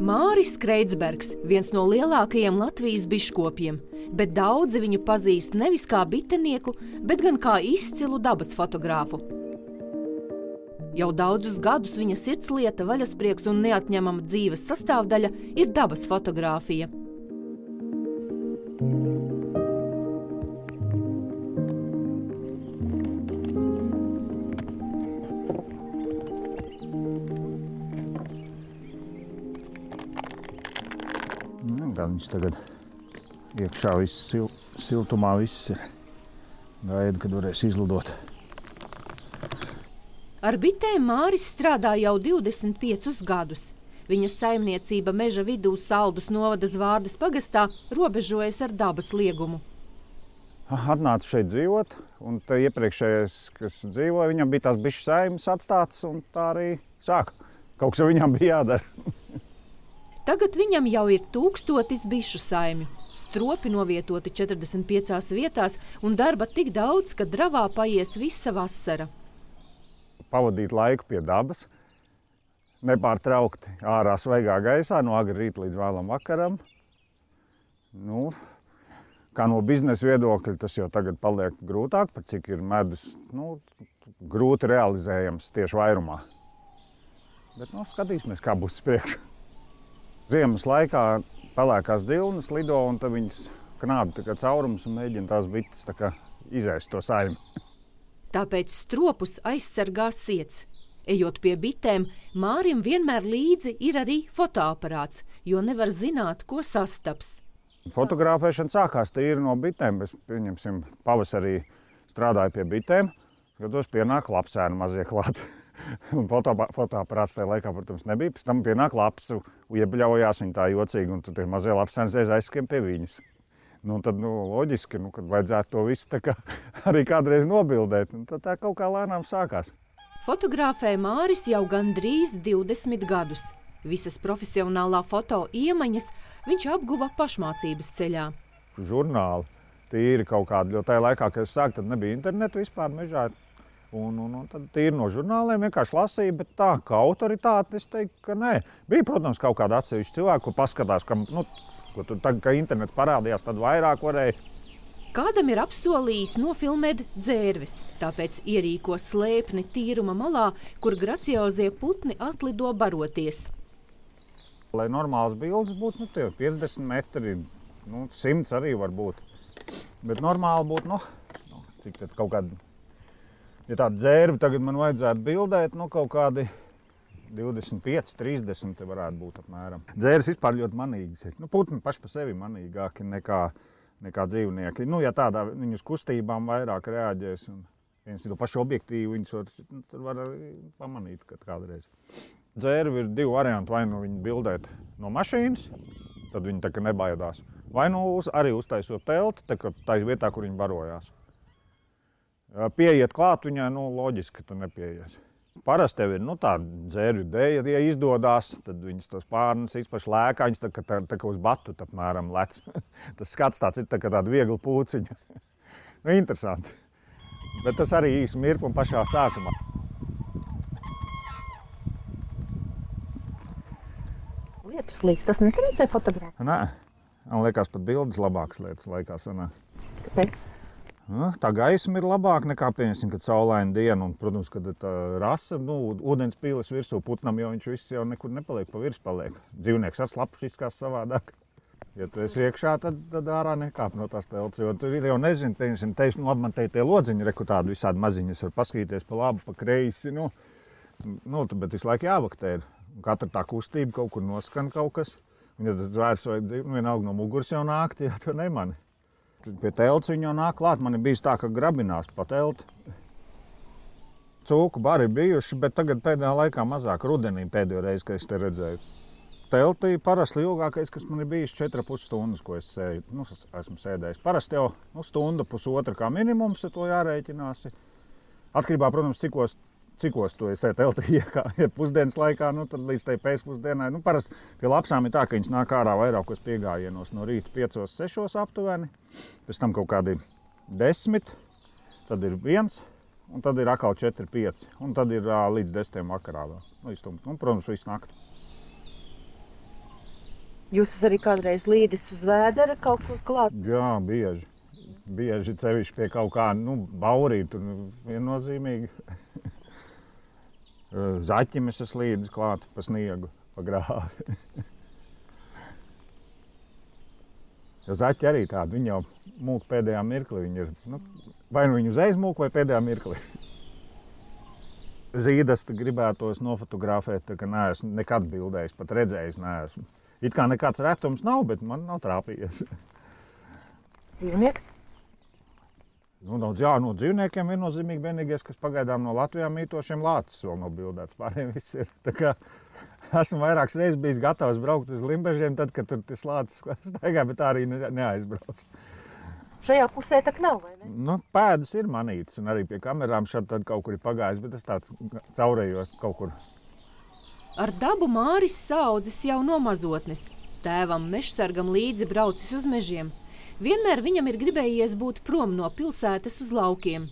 Māris Kreidsbergs, viens no lielākajiem Latvijas biškopiem, bet daudzi viņu pazīst nevis kā bitenieku, bet gan kā izcilu dabas fotogrāfu. Jau daudzus gadus viņa sirdslieta, vaļasprieks un neatņemama dzīves sastāvdaļa ir dabas fotogrāfija. Viņš tagad iekšā siltumā viss ir. Gaida, kad varēs izlidot. Ar bitēm Māris strādā jau 25 gadus. Viņa saimniecība meža vidū Saldus novada Zvārdas pagastā robežojas ar dabas liegumu. Atnāca šeit dzīvot, un te iepriekšējais, kas dzīvoja, viņam bija tās bišu saimes atstātas, un tā arī sāka. Kaut kas viņam bija jādara. Tagad viņam jau ir 1000 bišu saimju. Stropi novietoti 45 vietās un darba tik daudz, ka dravā paies visa vasara. Pavadīt laiku pie dabas, nepārtraukti ārā svaigā gaisā, no agra rīta līdz vēlam vakaram. Kā no biznesa viedokļa, tas jau tagad paliek grūtāk, par cik ir medus, grūti realizējams tieši vairumā. Bet skatīsimies, kā būs priekšu. Ziemas laikā pelēkās dzilnes lido, un tad viņas knābi caurumus un mēģina tās bites izēst to saimi. Tāpēc stropus aizsargā siets. Ejot pie bitēm, Mārim vienmēr līdzi ir arī fotoaparāts, jo nevar zināt, ko sastaps. Fotografēšana sākās tīri no bitēm. Es, pieņemsim, pavasarī strādāju pie bitēm, skatos pienāk lapsēni mazie klāt. Un fotoaparāts tajā laikā, protams, nebija. Pēc tam pienāk lapsu, iebļaujās viņa tā jocīgi, un tad tie mazie lapsēni aizskrien pie viņas. Tad loģiski, kad vajadzētu to visu arī kādreiz nobildēt. Un tad tā kaut kā lēnām sākās. Fotografē Māris jau gandrīz 20 gadus. Visas profesionālā foto iemaņas viņš apguva pašmācības ceļā. Žurnāli tīri kaut kādi, jo tajā laikā, kad es sāku, tad nebija internetu vispār mežā. Un tad tīri no žurnāliem vienkārši lasīja, bet tā kā autoritāte, es teiktu, ka nē. Bija, protams, kaut kāda atsevišķa cilvēka, kur paskatās, ka internets parādījās, tad vairāk varēja. Kādam ir apsolījis nofilmēt dzērves, tāpēc ierīko slēpni tīruma malā, kur graciozie putni atlido baroties. Lai normāls bildes būtu, 50 metri, 100 arī var būt. Bet normāli būtu, cik tad kaut kādi. Ja tāda dzērve tagad man vajadzētu bildēt, kaut kādi 25, 30 te varētu būt apmēram. Dzēres vispār ļoti manīgas ir. Putni paši pa sevi manīgāki nekā dzīvnieki. Ja tādā viņu uz kustībām vairāk reaģēs un viens to pašu objektīvu, viņus var arī pamanīt kādreiz. Dzērve ir 2 varianti, vai viņu bildēt no mašīnas, tad viņi nebaidās. Vai arī uztaisot telti, tā vietā, kur viņi barojās. Pieiet klāt viņai, loģiski, ka tu nepieies. Parasti tev ir tāda dzērvju dēja, ja izdodās, tad viņas tos pārnes izpaši lēkā, viņas tā kā uz batu apmēram lec. Tas skats tāds ir tāda viegla pūciņa. Interesanti. Bet tas arī īsi mirkli un pašā sākumā. Lietus līdz, tas netrīcē fotogrāfēt? Nē, man liekas pat bildes labākas lietas laikā sanāk. Kāpēc? Tā gaisma ir labāka nekā, pieņemsim, kad saulaina diena, un, protams, kad tā rasa, ūdens pīles virsū putnam, jo viņš viss jau nekur nepaliek, pa virs paliek. Dzīvnieks atslapš izskās savādāk. Ja tu esi iekšā, tad ārā nekāp no tās telts, jo tu jau nezini, pieņemsim, man te tie lodziņi, reku tādi visādi maziņas, var paskatīties pa labu, pa kreisi, bet visu laiku jāvaktē ir. Katra tā kustība kaut kur noskan kaut kas, un ja tas zvērs vai vienalga no muguras jau nākt, ja tu nemani. Pie telts viņa jau nāk klāt. Man ir bijis tā, ka grabinās pa telti. Cūku bari bijuši, bet tagad pēdējā laikā mazāk. Rudenī pēdējo reizi, kad es te redzēju. Teltī parasti ilgākais, kas man ir bijis 4,5 stundas, ko es esmu sēdējis. Parasti jau stunda, pusotra kā minimums, ja to jārēķinās. Atkarībā, protams, cikos to es teltī iekā. Ja pusdienas laikā, tad līdz tai pēcpusdienai. Parasti pie lapsām ir tā, ka viņas nāk ārā vairākos piegājienos no rīta 5, 6 aptuveni. Pēc tam kaut kādi 10, tad ir 1, un tad ir atkal 4, 5. Un tad ir līdz 10 vakarā vēl. Protams, visu nakti. Jūs esat arī kādreiz līdis uz vēdera kaut kur klāt? Jā, bieži. Bieži cevišķi pie kaut kā, baurīt, tur viennozīmīgi. Zaķim es esmu līdis klāt pa sniegu, pa grāvi. Jo zaķi arī tādi, viņi jau mūk pēdējā mirklī. Viņi ir, vai nu viņi uzreiz mūk vai pēdējā mirklī. Zīdas gribētos nofotografēt, tā ka neesmu nekad bildējis, pat redzējis neesmu. It kā nekāds retums nav, bet man nav trāpījies. Dzīvnieks? No dzīvniekiem viennozīmīgi vienīgais, kas pagaidām no Latvijā mītošiem lācis vēl nav bildēts. Pārējiem viss ir. Tā kā esmu vairākas reizes bijis gatavs braukt uz Limbežiem, tad, kad tur tas lācis staigā, bet tā arī neaizbrauc. Šajā pusē tak nav, vai ne? Pēdas ir manītas, un arī pie kamerām šad tad kaut kur ir pagājis, bet tas tāds caurējot kaut kur. Ar dabu Māris saudzis jau no mazotnes. Tēvam mežsargam līdzi braucis uz mežiem. Vienmēr viņam ir gribējies būt prom no pilsētas uz laukiem.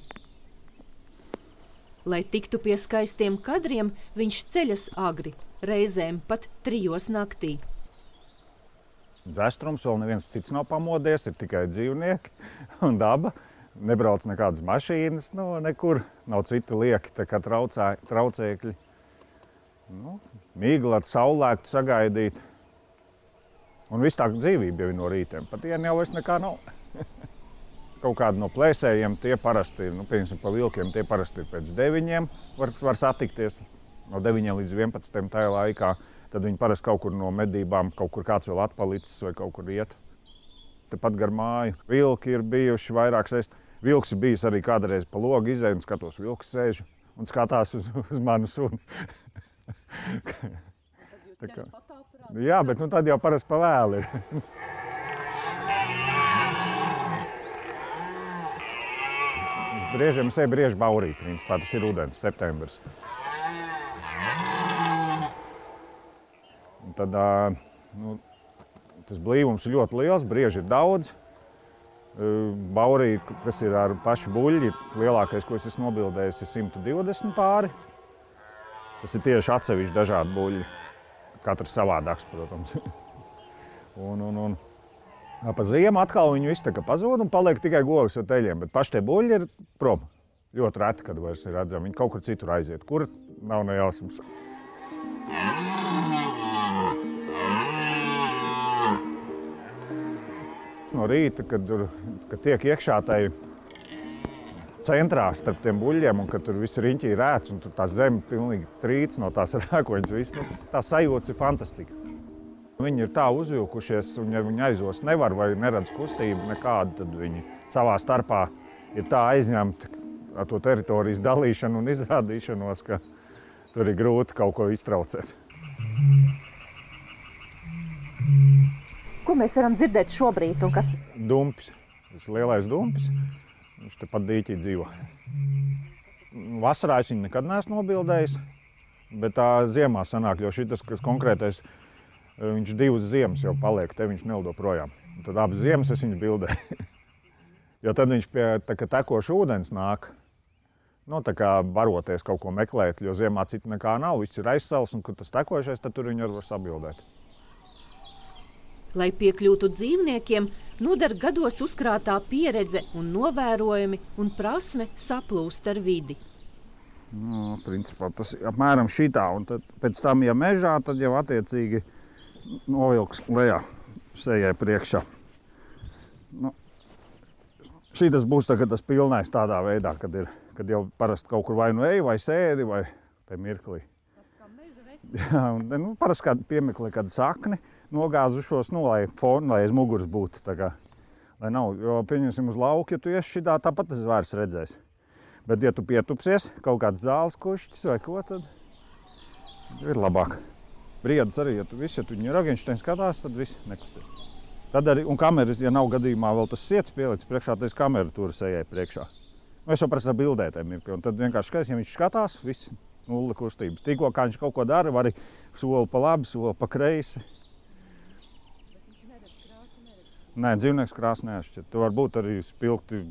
Lai tiktu pie skaistiem kadriem, viņš ceļas agri, reizēm pat 3 naktī. Dzestrums vēl neviens cits nav pamodies, ir tikai dzīvnieki un daba. Nebrauc nekādas mašīnas, nekur nav citi lieki, tā kā traucēkļi. Mīgli ar saulēktu sagaidīt. Un viss tā dzīvība jau ir no rītiem. Pat dienu jau vairs nekā nav. Kaut kādi no plēsējiem tie parasti, piemēram, pa vilkiem tie parasti ir pēc 9 var satikties. No 9 līdz 11 tajā laikā. Tad viņi parasti kaut kur no medībām, kaut kur kāds vēl atpalicis vai kaut kur iet. Tepat gar māju. Vilki ir bijuši vairākas reizes. Vilks ir bijis arī kādreiz pa logu izēju un skatos, vilks sēž un skatās uz manu suni. Jā, bet tad jau parasti pa vēlu ir. Briežiem brieži baurīt, principā tas ir rudens, septembris. Un tad tas blīvums ir ļoti liels, brieži ir daudz. Baurī, kas ir ar pašu buļļi, lielākais, ko es esmu nobildējis, ir 120 pāri. Tas ir tieši atsevišķi dažādi buļļi. Katrs savādāks, protams. Un pa ziemu atkal viņi visi tā kā pazūd un paliek tikai govs ar teļiem, bet paši tie buļļi ir prom. Ļoti reti, kad vairs ir redzami. Viņi kaut kur citur aiziet. Kur nav nejausmas. No rīta, kad tiek iekšā tai centrā starp tiem buļļiem un kad tur viss riņķī rēts un tur tā zeme pilnīgi trīc no tās rēkoņas, viss, tā sajūta ir fantastika. Viņi ir tā uzvilkušies un ja viņi aizos nevar vai neredz kustību nekādu, tad viņi savā starpā ir tā aizņemti ar to teritorijas dalīšanu un izrādīšanos, ka tur ir grūti kaut ko iztraucēt. Ko mēs varam dzirdēt šobrīd un kas tas ir? Dumpis. Tas ir lielais dumpis. Viņš tepat dīķī dzīvo. Vasarā es viņu nekad neesmu nobildējis, bet tā ziemā sanāk, jo šitas, kas konkrētais, viņš 2 ziemas jau paliek, te viņš nelido projām. Un tad abas ziemas es viņu bildēju. Jo tad viņš pie tekoša ūdens nāk, tā kā baroties kaut ko meklēt, jo ziemā citu nekā nav, viss ir aizsals, un kad tas tekošais, tad tur viņu var sabildēt. Lai piekļūtu dzīvniekiem, noder gados uzkrātā pieredze un novērojumi un prasme saplūst ar vidi. Principā tas ir apmēram šitā, un tad pēc tam, ja mežā, tad jau attiecīgi novilks lejā sejai priekšā. Šitas būs tagad tas pilnais tādā veidā, kad jau parasti kaut kur vai nu ej, vai sēdi, vai te mirklī. Jā, un parasti kādu piemeklē kādu sakni, nogāzušos, lai aiz muguras būtu. Lai nav, jo pieņemsim uz lauku, ja tu iesi šitā, tāpat tas zvērs redzēs. Bet ja tu pietupsies, kaut kāds zāles kušķis vai ko, tad ir labāk. Briedis arī, ja tu viņu ragiņšteini skatās, tad viss nekustīs. Tad arī, un kameras, ja nav gadījumā vēl tas siets pielicis priekšā, tad kameru tur sejai priekšā. Es jau parasti bildētēm ir, un tad vienkārši skaties, ja viņš skatās, viss nulle kustības. Tikko, kā viņš kaut ko dara, var arī soli pa labi, soli pa kreisi. Nē, dzīvnieks krāsa neatšķir. Tu var būt arī spilgti,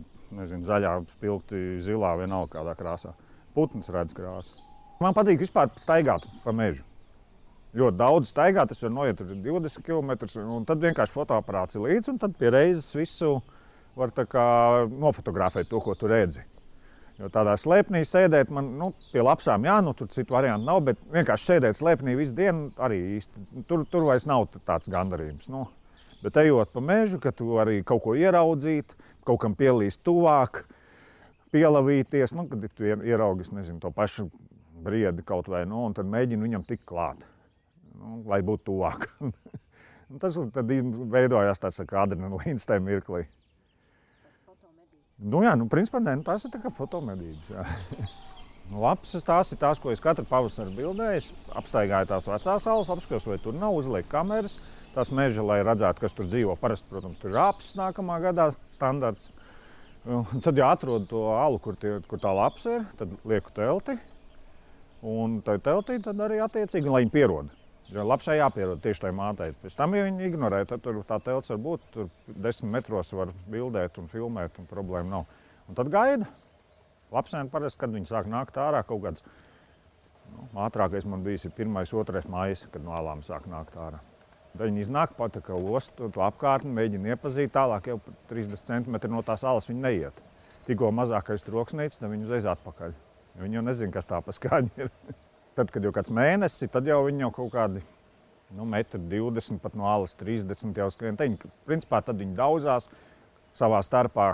zaļā, spilgti zilā, vienalga kādā krāsā. Putns redz krāsu. Man patīk vispār staigāt pa mežu. ļoti daudz staigā, tas var noiet 20 km, un tad vienkārši fotoaparāts ir līdzi, un tad pie reizes visu var tā kā nofotografēt to, ko tu redzi. Jo tādā slēpnī sēdēt man, pie lapsām, tur citu variantu nav, bet vienkārši sēdēt slēpnī visu dienu arī īsti, tur vairs nav tāds gandarījums. Bet ejot pa mežu, ka tu arī kaut ko ieraudzīt, kaut kam pielīst tuvāk, pielavīties, kad tu ieraugis, to pašu briedi kaut vai, un tad mēģini viņam tikt klāt, lai būtu tuvāk. Tas tad veidojās tāds kā adrenalīns tajā mirklī. Principā tās ir tā kā fotomedības. Lapsas tās ir tās, ko es katru pavasaru bildēju. Apstaigāju tās vecās salas, apskatījos, vai tur nav, uzliek kameras. Tās meža, lai redzētu, kas tur dzīvo. Parasti, protams, tur ir rāpes nākamā gadā standarts. Tad, ja atrodu to alu, kur tā lapsa ir, tad lieku telti. Un tai teltī tad arī attiecīgi, lai viņi pieroda. Jo lapsai jāpierod tieši tai mātei. Pēc tam, ja viņi ignorē, tad tur tā telts var būt, tur 10 metros var bildēt un filmēt, un problēma nav. Un tad gaida. Lapsēni parasti, kad viņi sāk nākt ārā kaut kāds, ātrākais man bijis ir 1. 2. maijs, kad no alām sāk nākt ārā. Tad viņi iznāk pat tā kā ostu, to apkārtni, mēģina iepazīt, tālāk jau 30 cm no tās alas viņi neiet. Tikko mazākais troksnītis, tad viņi uzreiz atpakaļ. Viņi jau nezina, kas tā pa skaņa ir. Tad, kad jau kāds mēnesis, tad jau viņi jau kaut kādi 1,20 m, pat no alas 30 jau skrien. Principā tad viņi daudzās, savā starpā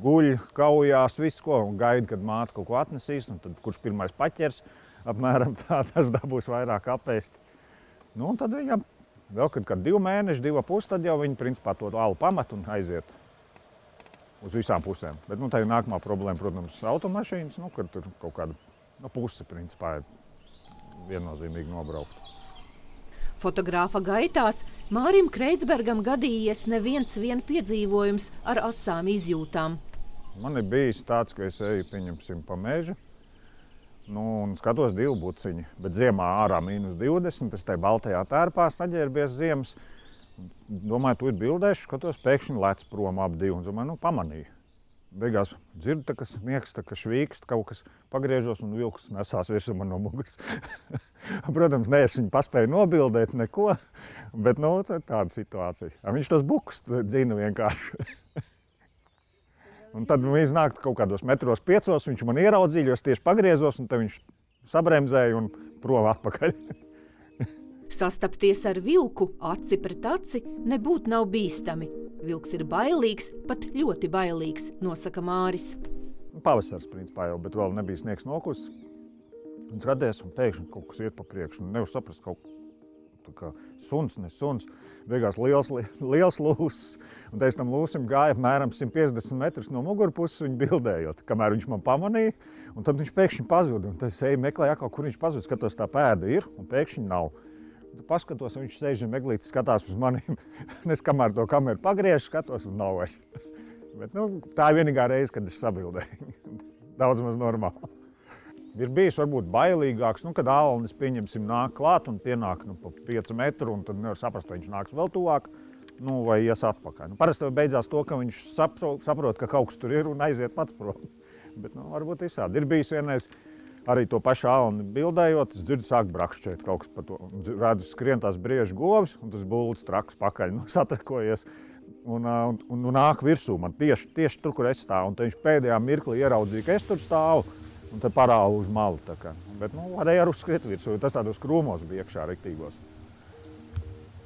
guļ, kaujās, visu ko, un gaida, kad māte kaut ko atnesīs, un tad kurš pirmais paķers, apmēram tā, tas dabūs vairāk apēst. Un tad viņam vēl, kad 2 mēneši, 2,5, tad jau viņi principā to alu pamet un aiziet uz visām pusēm. Bet tā ir nākamā problēma, protams, automašīnas, kad tur kaut kāda puse principā ir viennozīmīgi nobraukt. Fotogrāfa gaitās Mārim Kreitsbergam gadījies neviens piedzīvojums ar asām izjūtām. Man ir bijis tāds, ka es eju, pieņemsim, pa mežu, un skatos 2 buciņi, bet ziemā ārā -20, es tai baltajā tērpā saģērbies ziemas. Domāju, tu ir bildēšu, skatos, pēkšņi lec prom ap 2, un domāju, pamanīju. Beigās dzirdu, ka sniegs švīkst, kaut kas pagriežos un vilks nesās virsū man no muguras. Protams, es viņu paspēju nobildēt neko, bet tāda situācija. Viņš tos bukus dzina vienkārši. Un tad viņš nāk kaut kādos 5 metros, viņš man ieraudzīja, jo es tieši pagriezos, un tad viņš sabremzēja un prom atpakaļ. Sastapties ar vilku aci pret aci nebūtu nav bīstami. Vilks ir bailīgs, pat ļoti bailīgs, nosaka Māris. Pavasars, principā jau, bet vēl nebija sniegs nokusis. Un skaties, un pēkšņi kaut kas iet pa priekšu. Nevar saprast kaut kā suns, ne suns. Beigās liels lūsis. Un pēc tam lūsim gāja apmēram 150 metrus no mugurpuses viņu bildējot, kamēr viņš man pamanīja. Un tad viņš pēkšņi pazuda. Un tad es eju meklēju atkal, kur viņš pazuda. Skatos, tā pēda ir, un pēkšņi nav. Paskatos, viņš sēž un meglītis skatās uz maniem. Es kamēr to kameru pagriežu, skatos un nav vairs. Bet, tā ir vienīgā reize, kad es sabildēju. Daudz maz normāli. Ir bijis varbūt bailīgāks, kad ālnis, pieņemsim, nāk klāt un pienāk pa 5 metru, un tad nevar saprast, vai viņš nāks vēl tuvāk, vai ies atpakaļ. Parasti beidzās to, ka viņš saprot, ka kaut kas tur ir un aiziet pats prom. Bet, varbūt visādi. Ir bijis vienreiz arī to pašu ālni bildējot, es dzirdu, sāk brakšķēt kaut kas par to. Redzu, skrien tās briežu govis, un tas bulds traks pakaļ, satrakojies. Un nāk virsū man tieši tur, kur es stāvu. Un tad viņš pēdējā mirklī ieraudzīja, ka es tur stāvu, un tad parāvu uz malu. Bet varēja arī uzskriet virsū, jo tas tādos krūmos bija iekšā riktīgos.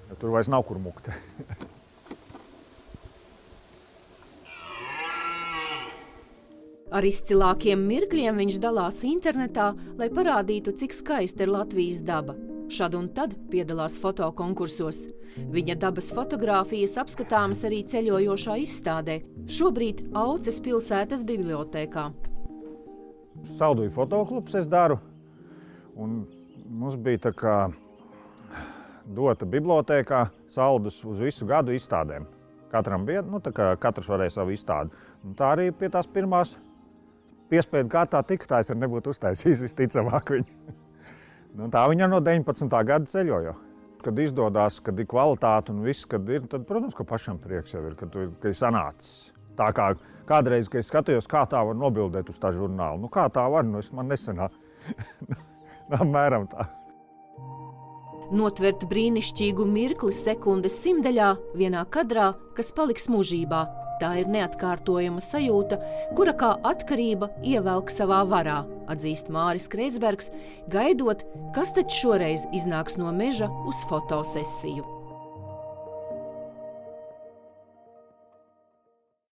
Ja tur vairs nav kur mukt. Ar izcilākiem mirkļiem viņš dalās internetā, lai parādītu, cik skaista ir Latvijas daba. Šad un tad piedalās fotokonkursos. Viņa dabas fotogrāfijas apskatāmas arī ceļojošā izstādē, šobrīd Auces pilsētas bibliotēkā. Salduju fotoklubs es daru, un mums bija tā kā dota bibliotēkā saldus uz visu gadu izstādēm. Katram bija, tā kā katrs varēja savu izstādi. Un tā arī pie tās pirmās piespēdu kārtā tika, es nebūtu uztaisījis visticamāk viņu. Tā viņa no 19. gada ceļoja. Kad izdodās, kad ir kvalitāte un viss, kad ir, tad, protams, ka pašam prieks jau ir, kad ir sanācis. Tā kā kādreiz, kad es skatījos, kā tā var nobildēt uz tā žurnālu. Kā tā var, man nesanāk. Apmēram tā. Notvert brīnišķīgu mirkli sekundes simtdaļā vienā kadrā, kas paliks mūžībā. Tā ir neatkārtojama sajūta, kura kā atkarība ievelk savā varā, atzīst Māris Kreitsbergs, gaidot, kas taču šoreiz iznāks no meža uz fotosesiju.